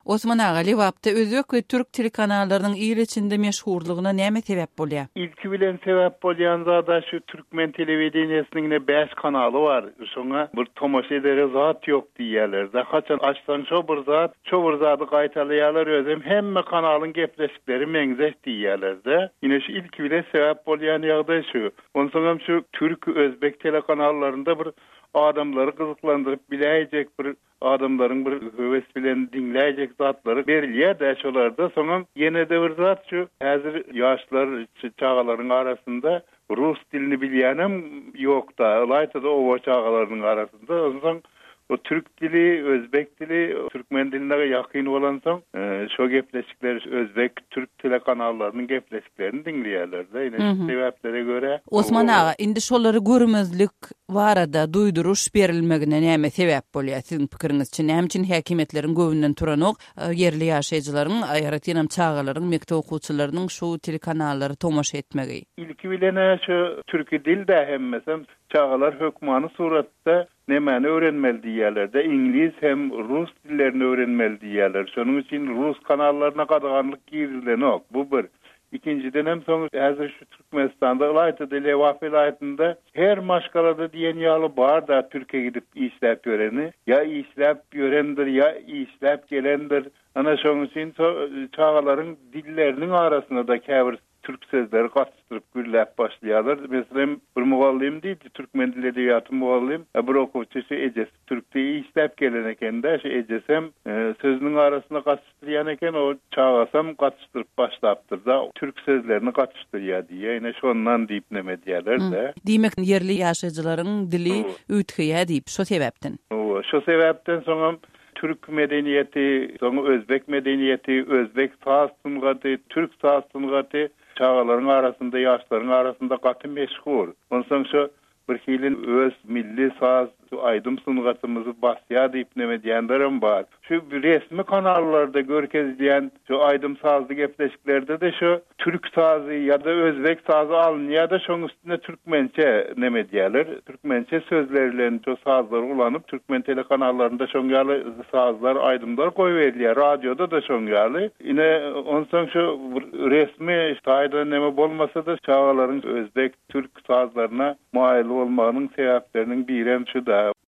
Osman aga, Lebapda özbek we türk telekanallarynyň il içinde meşhurlygyna näme sebäp bolýar? Ilki bilen sebäp bolýan zada şu türkmen telewideniýesiniň ine bäş kanaly bar. Şoňa bir tomaşa edere zat ýok diýýärler-de. Haçan açsaň şo bir zat, şo bir zady gaýtalaýarlar özem hemme kanalyň gepleşikleri meňzeş diýýärler-de. Ine şu ilki bilen sebäp bolýan ýagdaý şu. Onsoňam şu türk, özbek telekanallarynda bir adamlary gyzyklandyryp biläýjek bir Adamlaryň bir höwes bilen diňläýjek zatlary berilýär-dä şolarda. Soňam ýene-de bir zat şu häzir ýaşlar, çagalaryň arasynda rus dilini bilýänem ýok-da, ylaýta-da oba çagalarynyň arasynda. Onsoň o türk dili, özbek dili türkmen diline ýakyn bolansoň, şo gepleşikleri özbek, türk telekanallarynyň gepleşiklerini diňleýärler-de. Ine şu sebäplere görä. Osman aga, indi şolary görmezlik barada duýduryş berilmegine näme sebäp bolýar siziň pikiriňizçe? Näme üçin häkimiýetleriň göwnünden turanok ýerli ýaşaýjylaryň, aýratynam çagalaryň, mekdep okuwçylarynyň şu telekanallara tomaşa etmegi? Ilki bilen-ä şu türki dil-dä hemmesem, çagalar hökmany suratda nemäni öwrenmeli diýýärler-de, iňlis hem rus dillerini öwrenmeli diýýärler. Şonuň üçin rus kanallaryna gadaganlyk girizilenok. Bu bir. Ikinjidenem soň häzir şu Türkmenistanda ylaýta-da Lebap welaýatynda her maşgalada diýen ýaly bar-da türke gidip işläp ýöreni. Ýa işläp ýörendir, ýa işläp gelendir. Ana şonuň üçin çagalaryň dilleriniň arasynda-da käbir türk sözleri gatyşdyryp gürläp başlaýarlar. Meselem, bir mugallym diýdi, türkmen dili edebiýaty mugallym, bir okuwçy şu ejesi türkde işläp gelen eken-de, şu ejesem sözüniň arasynda gatyşdyrýan eken, o çagasam gatyşdyryp başlapdyr-da, türk sözlerini gatyşdyrýar diýýär, ine şondan diýip neme edýärler-de. Diýmek, ýerli ýaşaýjylaryň dili üýtgeýär diýip, şo sebäpden. Hawa, şo sebäpden soňam türk medeniýeti, soň özbek medeniýeti, özbek saz sungaty, türk saz sungaty çagalaryň arasynda, ýaşlaryň arasynda gaty meşhur. Onsoň şo Bir hili öz milli saz, aýdym sungatymyzy basýar diýip neme diýenlerem bar. Şu resmi kanallarda görkezilýän şu aýdym-sazly gepleşiklerde-de şu türk sazy ýa-da özbek sazy alynýar-da şoň üstüne türkmençe neme edýärler. Türkmençe sözler bilen şu sazlary ulanyp türkmen telekanallarynda şoň ýaly sazlar, aýdymlar goýberilýär. Radioda-da şoň ýaly. Ine onsoň şu resmi taýdan neme bolmasa-da çagalaryň özbek, Türk sazlaryna maýyl bolmagynyň sebäpleriniň birem şu-da.